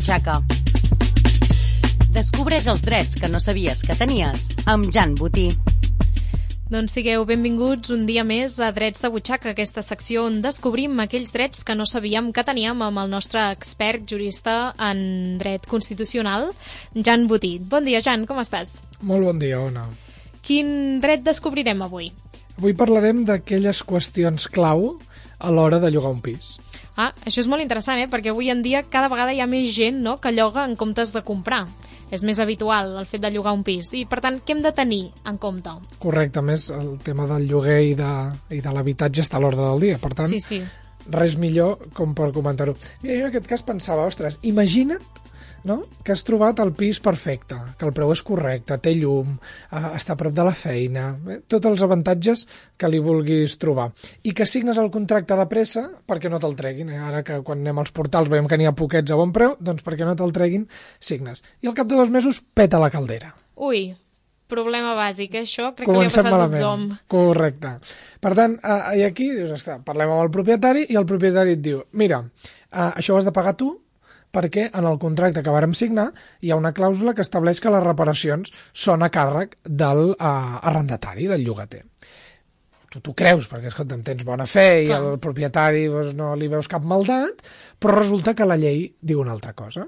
butxaca. Descobreix els drets que no sabies que tenies amb Jan Botí. Doncs sigueu benvinguts un dia més a Drets de Butxaca, aquesta secció on descobrim aquells drets que no sabíem que teníem amb el nostre expert jurista en dret constitucional, Jan Botí. Bon dia, Jan, com estàs? Molt bon dia, Ona. Quin dret descobrirem avui? Avui parlarem d'aquelles qüestions clau a l'hora de llogar un pis. Això és molt interessant, perquè avui en dia cada vegada hi ha més gent, no?, que lloga en comptes de comprar. És més habitual el fet de llogar un pis. I, per tant, què hem de tenir en compte? Correcte, més el tema del lloguer i de l'habitatge està a l'ordre del dia. Per tant, sí. Res millor com per comentar-ho. Mira, jo en aquest cas pensava, ostres, imagina't, no?, que has trobat el pis perfecte, que el preu és correcte, té llum, està a prop de la feina, tots els avantatges que li vulguis trobar. I que signes el contracte de pressa perquè no te'l treguin. Ara que quan anem als portals veiem que n'hi ha poquets a bon preu, doncs perquè no te'l treguin, signes. I al cap de 2 mesos peta la caldera. Ui, problema bàsic, això crec Comencem que li ha passat malament. a tothom. Correcte. Per tant, i aquí dius, parlem amb el propietari i el propietari et diu, mira, això ho has de pagar tu, perquè en el contracte que vàrem signar hi ha una clàusula que estableix que les reparacions són a càrrec del arrendatari, del llogater. Tu t'ho creus, perquè escolta'm, tens bona fe i al propietari no li veus cap maldat, però resulta que la llei diu una altra cosa.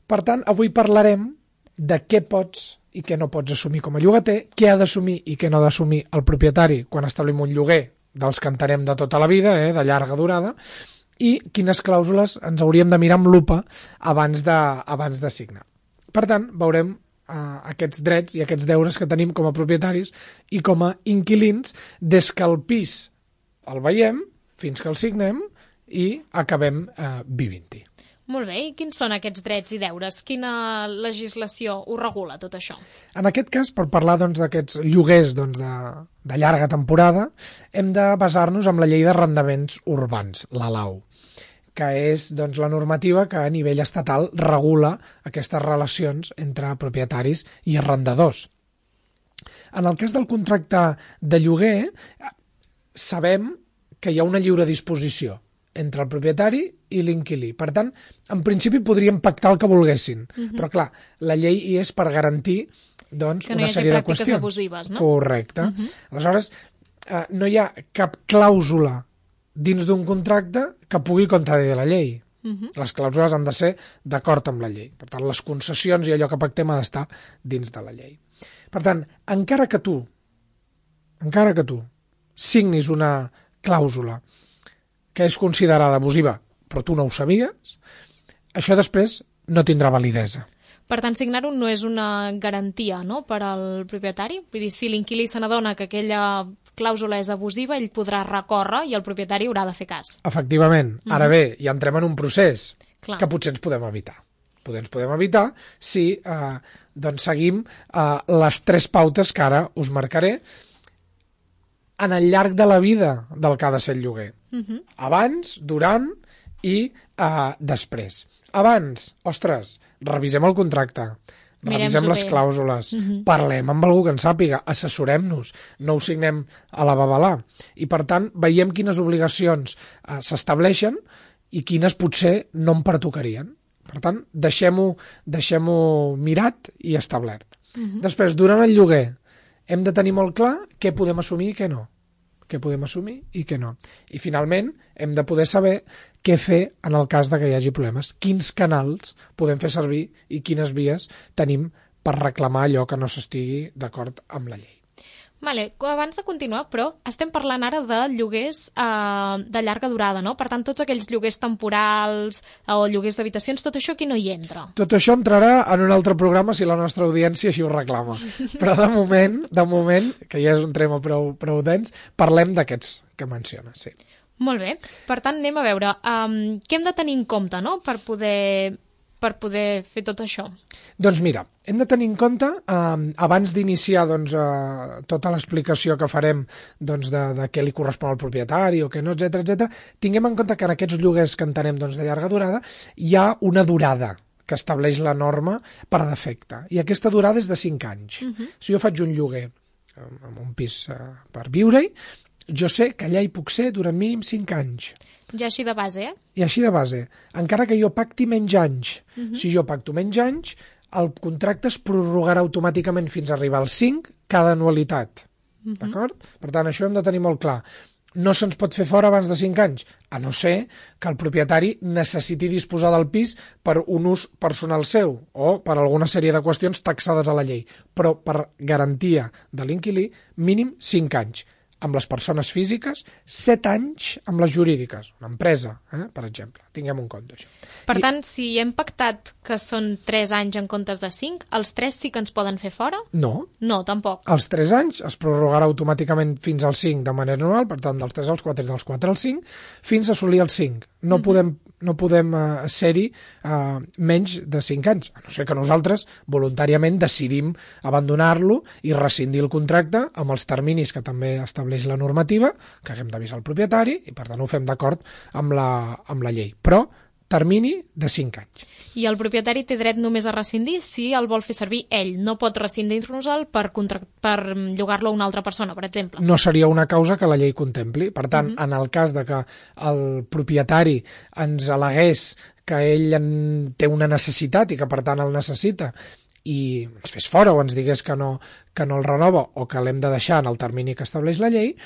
Per tant, avui parlarem de què pots i què no pots assumir com a llogater, què ha d'assumir i què no ha d'assumir el propietari quan establim un lloguer dels que entenem de tota la vida, de llarga durada, i quines clàusules ens hauríem de mirar amb lupa abans de signar. Per tant, veurem aquests drets i aquests deures que tenim com a propietaris i com a inquilins des que el pis el veiem fins que el signem i acabem vivint-hi. Molt bé, i quins són aquests drets i deures? Quina legislació ho regula, tot això? En aquest cas, per parlar d'aquests lloguers de llarga temporada, hem de basar-nos en la llei d'arrendaments urbans, la LAU, que és la normativa que a nivell estatal regula aquestes relacions entre propietaris i arrendadors. En el cas del contracte de lloguer, sabem que hi ha una lliure disposició entre el propietari i l'inquilí. Per tant, en principi podríem pactar el que volguessin, però clar, la llei hi és per garantir una sèrie de qüestions. Que no hi hagi pràctiques abusives, no? Correcte. Aleshores, no hi ha cap clàusula dins d'un contracte que pugui contradir la llei. Les clàusules han de ser d'acord amb la llei. Per tant, les concessions i allò que pactem ha d'estar dins de la llei. Per tant, encara que tu signis una clàusula que és considerada abusiva, però tu no ho sabies, això després no tindrà validesa. Per tant, signar-ho no és una garantia, no?, per al propietari? Vull dir, si l'inquilí se n'adona que aquella clàusula és abusiva, ell podrà recórrer i el propietari haurà de fer cas. Efectivament. Ara bé, ja entrem en un procés que potser ens podem evitar. Ens podem evitar si seguim les 3 pautes que ara us marcaré en el llarg de la vida del que ha de ser el lloguer. Abans, durant i després. Abans, ostres, revisem el contracte, revisem les clàusules, parlem amb algú que en sàpiga, assessorem-nos, no ho signem a la babalà. I, per tant, veiem quines obligacions s'estableixen i quines potser no em pertocarien. Per tant, deixem-ho mirat i establert. Després, durant el lloguer, hem de tenir molt clar què podem assumir i què no. Què podem assumir i què no. I, finalment, hem de poder saber què fer en el cas de que hi hagi problemes. Quins canals podem fer servir i quines vies tenim per reclamar allò que no s'estigui d'acord amb la llei. Vale, abans de continuar, però, estem parlant ara de lloguers de llarga durada, no? Per tant, tots aquells lloguers temporals o lloguers d'habitacions, tot això aquí no hi entra. Tot això entrarà en un altre programa si la nostra audiència així ho reclama. Però de moment, que ja és un tema prou dens, parlem d'aquests que menciones, sí. Molt bé. Per tant, anem a veure què hem de tenir en compte, no?, per poder fer tot això. Doncs mira, hem de tenir en compte, abans d'iniciar tota l'explicació que farem de què li correspon al propietari o què no, etcètera, tinguem en compte que en aquests lloguers que entenem de llarga durada hi ha una durada que estableix la norma per defecte. I aquesta durada és de 5 anys. Si jo faig un lloguer en un pis per viure-hi, jo sé que allà hi puc ser durant mínim 5 anys. Ja així de base, I així de base. Encara que jo pacti menys anys, si jo pacto menys anys, el contracte es prorrogarà automàticament fins a arribar als 5 cada anualitat. D'acord? Per tant, això hem de tenir molt clar. No se'ns pot fer fora abans de 5 anys, a no ser que el propietari necessiti disposar del pis per un ús personal seu o per alguna sèrie de qüestions taxades a la llei. Però per garantia de l'inquilí, mínim 5 anys. Amb les persones físiques, 7 anys amb les jurídiques. Una empresa, per exemple. Tinguem un compte, això. Per tant, si hem pactat que són 3 anys en comptes de 5, els 3 sí que ens poden fer fora? No. No, tampoc. Els 3 anys es prorrogarà automàticament fins als 5 de manera anual, per tant, dels 3 als 4 i dels 4 als 5, fins a assolir els 5. No podem ser-hi menys de 5 anys, a no ser que nosaltres voluntàriament decidim abandonar-lo i rescindir el contracte amb els terminis que també estableix la normativa, que haguem d'avisar al propietari i per tant ho fem d'acord amb la llei. Però termini de 5 anys. I el propietari té dret només a rescindir si el vol fer servir ell. No pot rescindir-nos-el per llogar-lo a una altra persona, per exemple. No seria una causa que la llei contempli. Per tant, en el cas de que el propietari ens al·legués que ell té una necessitat i que per tant el necessita i ens fes fora o ens digués que no el renova o que l'hem de deixar en el termini que estableix la llei,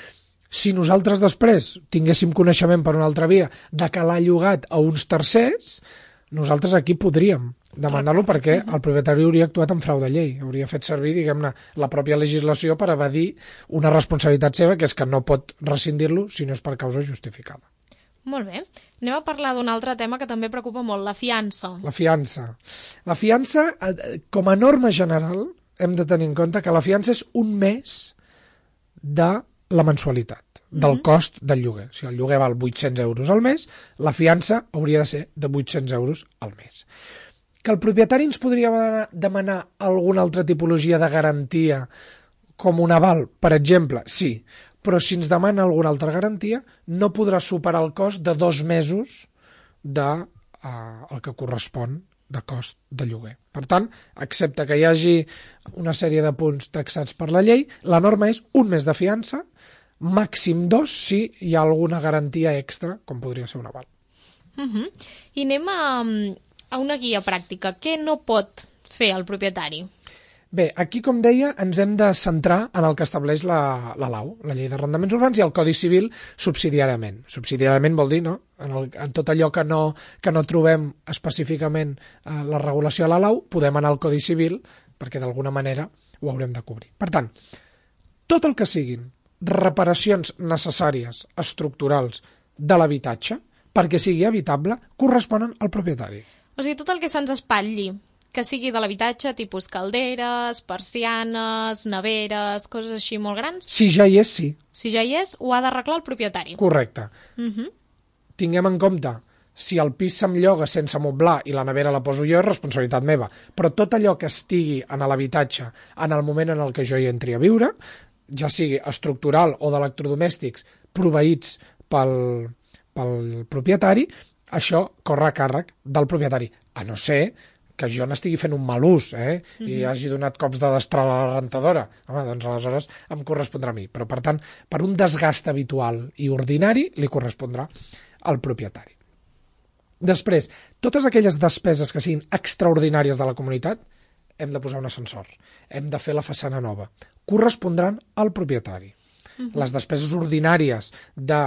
si nosaltres després tinguéssim coneixement per una altra via de que l'ha llogat a uns tercers, nosaltres aquí podríem demandar-lo perquè el propietari hauria actuat en frau de llei, hauria fet servir, diguem-ne, la pròpia legislació per evadir una responsabilitat seva, que és que no pot rescindir-lo si no és per causa justificada. Molt bé. Anem a parlar d'un altre tema que també preocupa molt, la fiança. La fiança. La fiança, com a norma general, hem de tenir en compte que la fiança és un mes de la mensualitat, del cost del lloguer. Si el lloguer val 800 euros al mes, la fiança hauria de ser de 800 euros al mes. Que el propietari ens podria demanar alguna altra tipologia de garantia com un aval, per exemple? Sí, però si ens demana alguna altra garantia, no podrà superar el cost de 2 mesos el que correspon de cost de lloguer. Per tant, excepte que hi hagi una sèrie de punts taxats per la llei, la norma és un mes de fiança, màxim 2 si hi ha alguna garantia extra, com podria ser un aval. I anem a una guia pràctica. Què no pot fer el propietari? Bé, aquí, com deia, ens hem de centrar en el que estableix la LAU, la Llei d'Arrendaments Urbans, i el Codi Civil subsidiàriament. Subsidiàriament vol dir, no?, en tot allò que no trobem específicament la regulació a la LAU, podem anar al Codi Civil perquè d'alguna manera ho haurem de cobrir. Per tant, tot el que siguin reparacions necessàries, estructurals, de l'habitatge, perquè sigui habitable, corresponen al propietari. O sigui, tot el que se'ns espatlli, que sigui de l'habitatge, tipus calderes, persianes, neveres, coses així molt grans. Si ja hi és, sí. Si ja hi és, ho ha d'arreglar el propietari. Correcte. Tinguem en compte, si el pis se'm lloga sense moblar i la nevera la poso jo, és responsabilitat meva. Però tot allò que estigui en l'habitatge en el moment en el què jo hi entri a viure, ja sigui estructural o d'electrodomèstics proveïts pel propietari, això corre a càrrec del propietari, a no ser que jo n'estigui fent un mal ús i hagi donat cops de destral a la rentadora. Home, doncs aleshores em correspondrà a mi. Però, per tant, per un desgast habitual i ordinari li correspondrà al propietari. Després, totes aquelles despeses que siguin extraordinàries de la comunitat, hem de posar un ascensor, hem de fer la façana nova, correspondran al propietari. Les despeses ordinàries de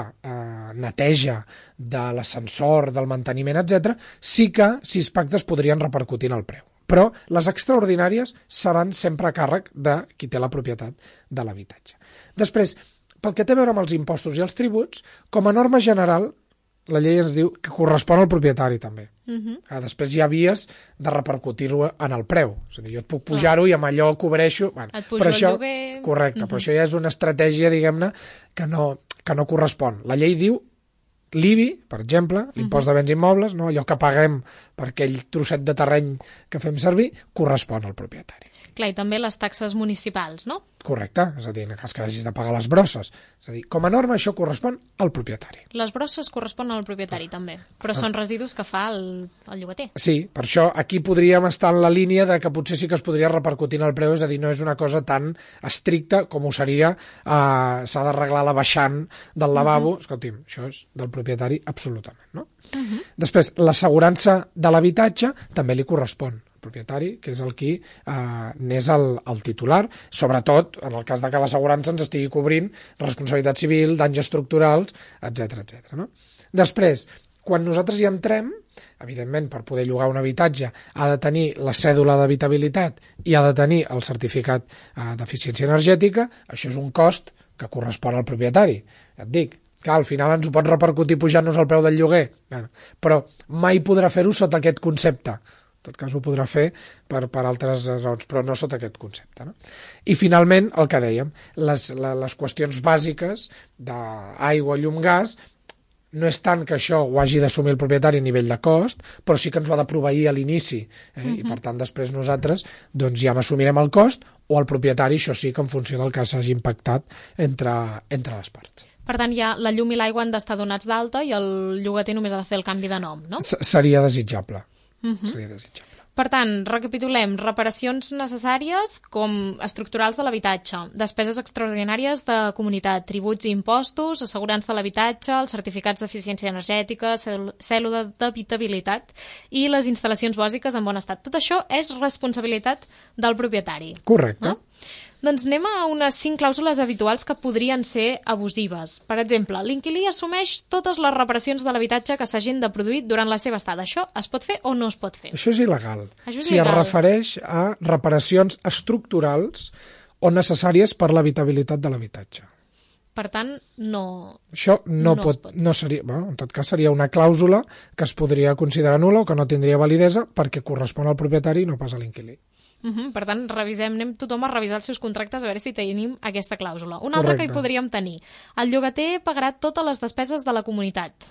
neteja, de l'ascensor, del manteniment, etc., sí que, si es pactes, podrien repercutir en el preu. Però les extraordinàries seran sempre a càrrec de qui té la propietat de l'habitatge. Després, pel que té a veure amb els impostos i els tributs, com a norma general, la llei ens diu que correspon al propietari també. Després hi ha vies de repercutir-ho en el preu. És a dir, jo et puc pujar-ho i amb allò cobreixo... Et pujo el lloguer... Correcte, però això ja és una estratègia, diguem-ne, que no correspon. La llei diu l'IBI, per exemple, l'impost de béns immobles, no? Allò que paguem per aquell trosset de terreny que fem servir, correspon al propietari. Clar, i també les taxes municipals, no? Correcte, és a dir, en el cas que hagis de pagar les brosses. És a dir, com a norma això correspon al propietari. Les brosses corresponen al propietari també, però són residus que fa el llogater. Sí, per això aquí podríem estar en la línia de que potser sí que es podria repercutir en el preu, és a dir, no és una cosa tan estricta com ho seria s'ha d'arreglar la baixant del lavabo. Escolti'm, això és del propietari absolutament, no? Després, l'assegurança de l'habitatge també li correspon al propietari, que és el qui n'és el titular, sobretot en el cas de que l'assegurança ens estigui cobrint responsabilitat civil, danys estructurals, etc. No? Després, quan nosaltres hi entrem, evidentment, per poder llogar un habitatge ha de tenir la cèdula d'habitabilitat i ha de tenir el certificat d'eficiència energètica, això és un cost que correspon al propietari. Ja et dic, que al final ens ho pot repercutir pujant-nos el preu del lloguer, però mai podrà fer-ho sota aquest concepte. En tot cas ho podrà fer per altres raons, però no sota aquest concepte. No? I finalment, el que dèiem, les qüestions bàsiques d'aigua, llum, gas, no és tant que això ho hagi d'assumir el propietari a nivell de cost, però sí que ens ho ha de proveir a l'inici. I per tant després nosaltres doncs, ja n'assumirem el cost o el propietari, això sí que en funció del que s'hagi impactat entre les parts. Per tant, ja la llum i l'aigua han d'estar donats d'alta i el llogater només ha de fer el canvi de nom, no? Seria desitjable. Seria desitjable. Per tant, recapitulem, reparacions necessàries com estructurals de l'habitatge, despeses extraordinàries de comunitat, tributs i impostos, assegurança de l'habitatge, els certificats d'eficiència energètica, cèdula d'habitabilitat i les instal·lacions bàsiques en bon estat. Tot això és responsabilitat del propietari. Correcte. No? Doncs anem a unes 5 clàusules habituals que podrien ser abusives. Per exemple, l'inquilí assumeix totes les reparacions de l'habitatge que s'hagin de produir durant la seva estada. Això es pot fer o no es pot fer? Això és il·legal. Es refereix a reparacions estructurals o necessàries per l'habitabilitat de l'habitatge. Per tant, no... Això no seria... Bueno, en tot cas, seria una clàusula que es podria considerar nul·la o que no tindria validesa perquè correspon al propietari i no pas a l'inquilí. Per tant, anem tothom a revisar els seus contractes a veure si tenim aquesta clàusula. Una altra que hi podríem tenir. El llogater pagarà totes les despeses de la comunitat.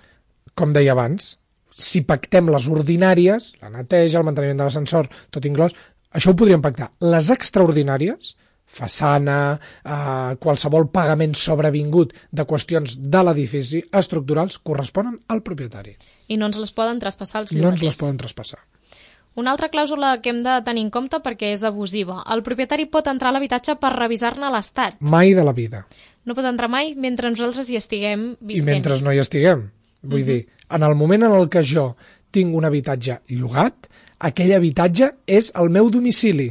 Com deia abans, si pactem les ordinàries, la neteja, el manteniment de l'ascensor, tot inclòs, això ho podríem pactar. Les extraordinàries, façana, qualsevol pagament sobrevingut de qüestions de l'edifici estructurals, corresponen al propietari. I no ens les poden traspassar els llogaters. No ens les poden traspassar. Una altra clàusula que hem de tenir en compte perquè és abusiva. El propietari pot entrar a l'habitatge per revisar-ne l'estat. Mai de la vida. No pot entrar mai mentre nosaltres hi estiguem visquent. I mentre no hi estiguem. Vull dir, en el moment en el que jo tinc un habitatge llogat, aquell habitatge és el meu domicili.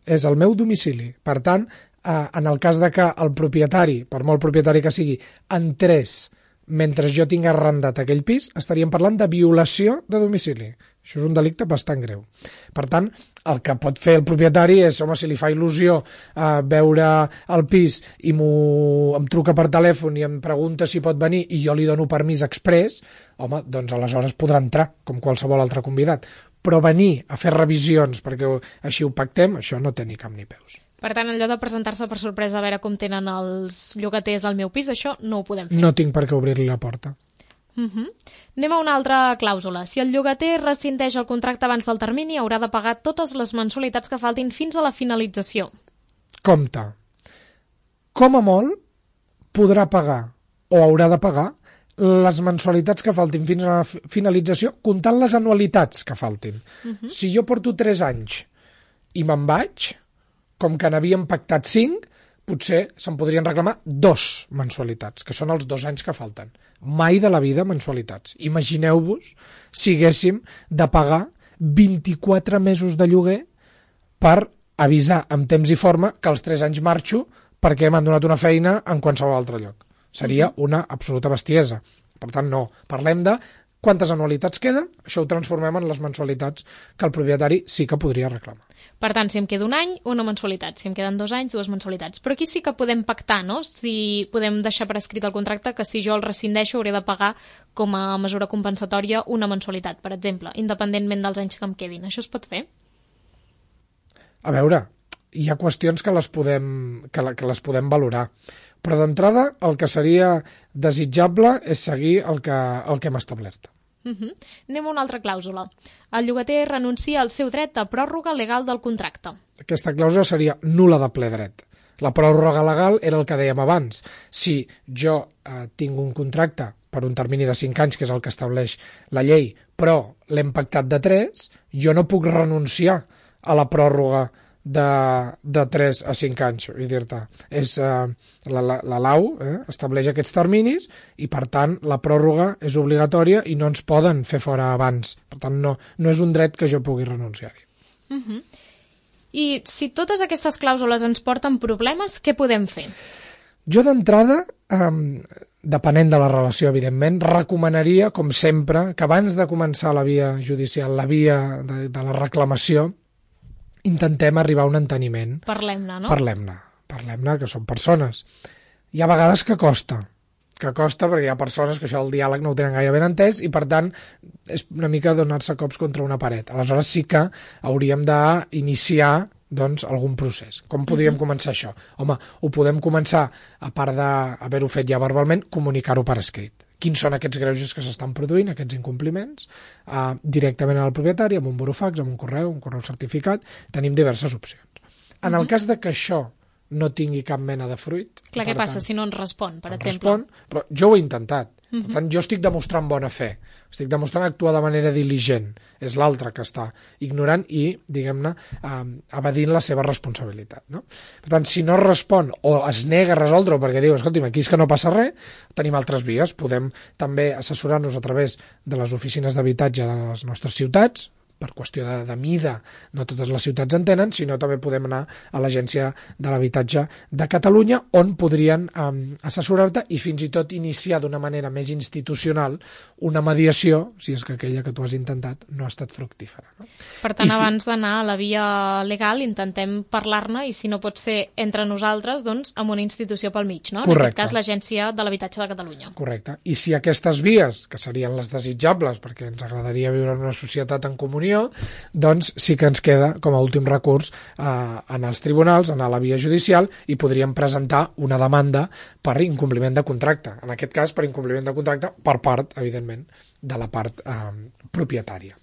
És el meu domicili. Per tant, en el cas de que el propietari, per molt propietari que sigui, entrés mentre jo tinc arrendat aquell pis, estaríem parlant de violació de domicili. Això és un delicte bastant greu. Per tant, el que pot fer el propietari és, home, si li fa il·lusió veure el pis i em truca per telèfon i em pregunta si pot venir i jo li dono permís exprés, home, doncs aleshores podrà entrar, com qualsevol altre convidat. Però venir a fer revisions perquè així ho pactem, això no té ni cap ni peus. Per tant, allò de presentar-se per sorpresa a veure com tenen els llogaters al meu pis, això no ho podem fer. No tinc per què obrir-li la porta. Anem a una altra clàusula. Si el llogater rescindeix el contracte abans del termini, haurà de pagar totes les mensualitats que faltin fins a la finalització. Compte. Com a molt, podrà pagar o haurà de pagar les mensualitats que faltin fins a la finalització, comptant les anualitats que faltin. Si jo porto 3 anys i me'n vaig, com que n'havíem pactat 5, potser se'n podrien reclamar 2 mensualitats, que són els 2 anys que falten. Mai de la vida mensualitats. Imagineu-vos si haguéssim de pagar 24 mesos de lloguer per avisar amb temps i forma que als 3 anys marxo perquè m'han donat una feina en qualsevol altre lloc. Seria una absoluta bestiesa. Per tant, no. Parlem de quantes anualitats queden, això ho transformem en les mensualitats que el propietari sí que podria reclamar. Per tant, si em queda un any, una mensualitat. Si em queden 2 anys, 2 mensualitats. Però aquí sí que podem pactar, no? Si podem deixar per escrit el contracte que si jo el rescindeixo hauré de pagar com a mesura compensatòria una mensualitat, per exemple, independentment dels anys que em quedin. Això es pot fer? A veure, hi ha qüestions que les podem valorar. Però d'entrada el que seria desitjable és seguir el que hem establert. Anem a una altra clàusula. El llogater renuncia al seu dret a pròrroga legal del contracte. Aquesta clàusula seria nul·la de ple dret. La pròrroga legal era el que dèiem abans. Si jo tinc un contracte per un termini de 5 anys, que és el que estableix la llei, però l'hem pactat de 3, jo no puc renunciar a la pròrroga de 3 a 5 anys, vull dir-te. La LAU estableix aquests terminis i, per tant, la pròrroga és obligatòria i no ens poden fer fora abans. Per tant, no és un dret que jo pugui renunciar-hi. I si totes aquestes clàusules ens porten problemes, què podem fer? Jo, d'entrada, depenent de la relació, evidentment, recomanaria, com sempre, que abans de començar la via judicial, la via de la reclamació, intentem arribar a un enteniment. Parlem-ne, no? Parlem-ne, que són persones. Hi ha vegades que costa perquè hi ha persones que això del diàleg no ho tenen gaire ben entès i, per tant, és una mica donar-se cops contra una paret. Aleshores sí que hauríem d'iniciar algun procés. Com podríem començar això? Home, ho podem començar, a part d'haver-ho fet ja verbalment, comunicar-ho per escrit. Quins són aquests greuges que s'estan produint, aquests incompliments, directament al propietari, amb un burofax, amb un correu certificat. Tenim diverses opcions. En el cas de que això no tingui cap mena de fruit... Clar, què passa si no ens respon, per exemple? Però jo ho he intentat. Per tant, jo estic demostrant bona fe. Estic demostrant actuar de manera diligent. És l'altre que està ignorant i, diguem-ne, evadint la seva responsabilitat. No? Per tant, si no respon o es nega a resoldre-ho perquè diu, escolti'm, aquí és que no passa res, tenim altres vies. Podem també assessorar-nos a través de les oficines d'habitatge de les nostres ciutats, per qüestió de mida, no totes les ciutats en tenen, sinó també podem anar a l'Agència de l'Habitatge de Catalunya, on podrien assessorar-te i fins i tot iniciar d'una manera més institucional una mediació, si és que aquella que tu has intentat no ha estat fructífera. No? Per tant, abans d'anar a la via legal, intentem parlar-ne i, si no pot ser entre nosaltres, doncs amb una institució pel mig, no? Correcte. En aquest cas, l'Agència de l'Habitatge de Catalunya. Correcte. I si aquestes vies, que serien les desitjables, perquè ens agradaria viure en una societat en comunió, doncs sí que ens queda com a últim recurs anar als tribunals, anar a la via judicial i podríem presentar una demanda per incompliment de contracte. En aquest cas, per incompliment de contracte per part, evidentment, de la part propietària.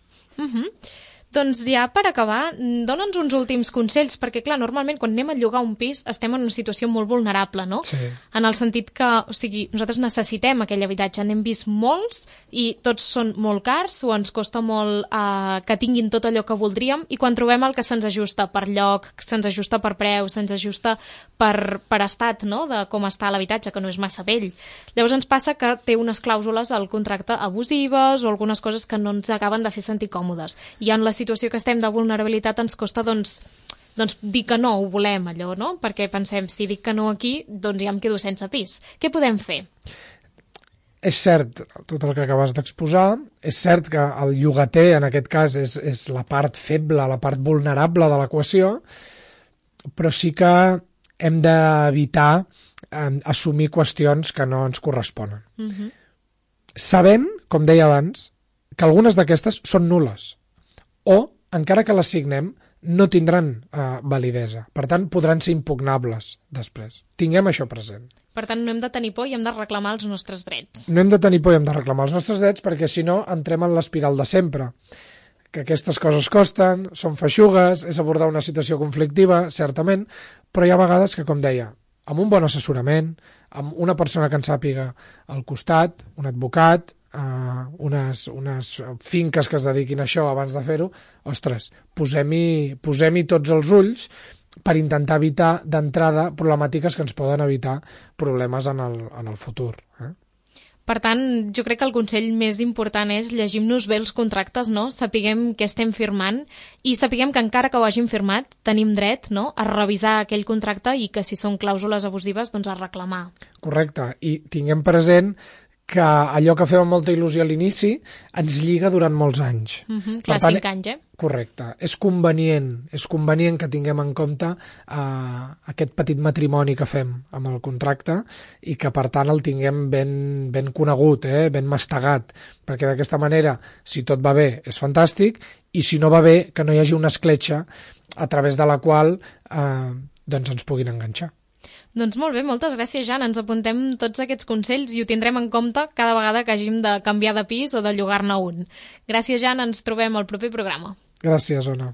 Doncs ja per acabar, dona'ns uns últims consells, perquè clar, normalment quan anem a llogar un pis estem en una situació molt vulnerable, no? Sí. En el sentit que, o sigui, nosaltres necessitem aquell habitatge, n'hem vist molts i tots són molt cars o ens costa molt que tinguin tot allò que voldríem i quan trobem el que se'ns ajusta per lloc, se'ns ajusta per preu, se'ns ajusta per estat, no?, de com està l'habitatge, que no és massa vell. Llavors ens passa que té unes clàusules al contracte abusives o algunes coses que no ens acaben de fer sentir còmodes. I en la situació que estem de vulnerabilitat ens costa doncs dir que no, ho volem allò, no? Perquè pensem, si dic que no aquí, doncs ja em quedo sense pis. Què podem fer? És cert tot el que acabes d'exposar, és cert que el llogater en aquest cas és la part feble, la part vulnerable de l'equació, però sí que hem d'evitar assumir qüestions que no ens corresponen. Sabent, com deia abans, que algunes d'aquestes són nul·les o, encara que les signem, no tindran validesa. Per tant, podran ser impugnables després. Tinguem això present. Per tant, no hem de tenir por i hem de reclamar els nostres drets. No hem de tenir por i hem de reclamar els nostres drets perquè, si no, entrem en l'espiral de sempre. Que aquestes coses costen, són feixugues, és abordar una situació conflictiva, certament, però hi ha vegades que, com deia, amb un bon assessorament, amb una persona que en sàpiga al costat, un advocat, unes finques que es dediquin a això abans de fer-ho, ostres, posem-hi tots els ulls per intentar evitar d'entrada problemàtiques que ens poden evitar problemes en el futur. Per tant, jo crec que el consell més important és llegim-nos bé els contractes, no? Sapiguem què estem firmant i sapiguem que encara que ho hàgim firmat tenim dret, no?, a revisar aquell contracte i que si són clàusules abusives, doncs a reclamar. Correcte, i tinguem present que allò que fem amb molta il·lusió a l'inici ens lliga durant molts anys. Clar, 5 anys, Correcte. És convenient que tinguem en compte aquest petit matrimoni que fem amb el contracte i que, per tant, el tinguem ben conegut, ben mastegat, perquè d'aquesta manera, si tot va bé, és fantàstic, i si no va bé, que no hi hagi una escletxa a través de la qual doncs ens puguin enganxar. Doncs molt bé, moltes gràcies, Jan. Ens apuntem tots aquests consells i ho tindrem en compte cada vegada que hàgim de canviar de pis o de llogar-ne un. Gràcies, Jan. Ens trobem al proper programa. Gràcies, Ona.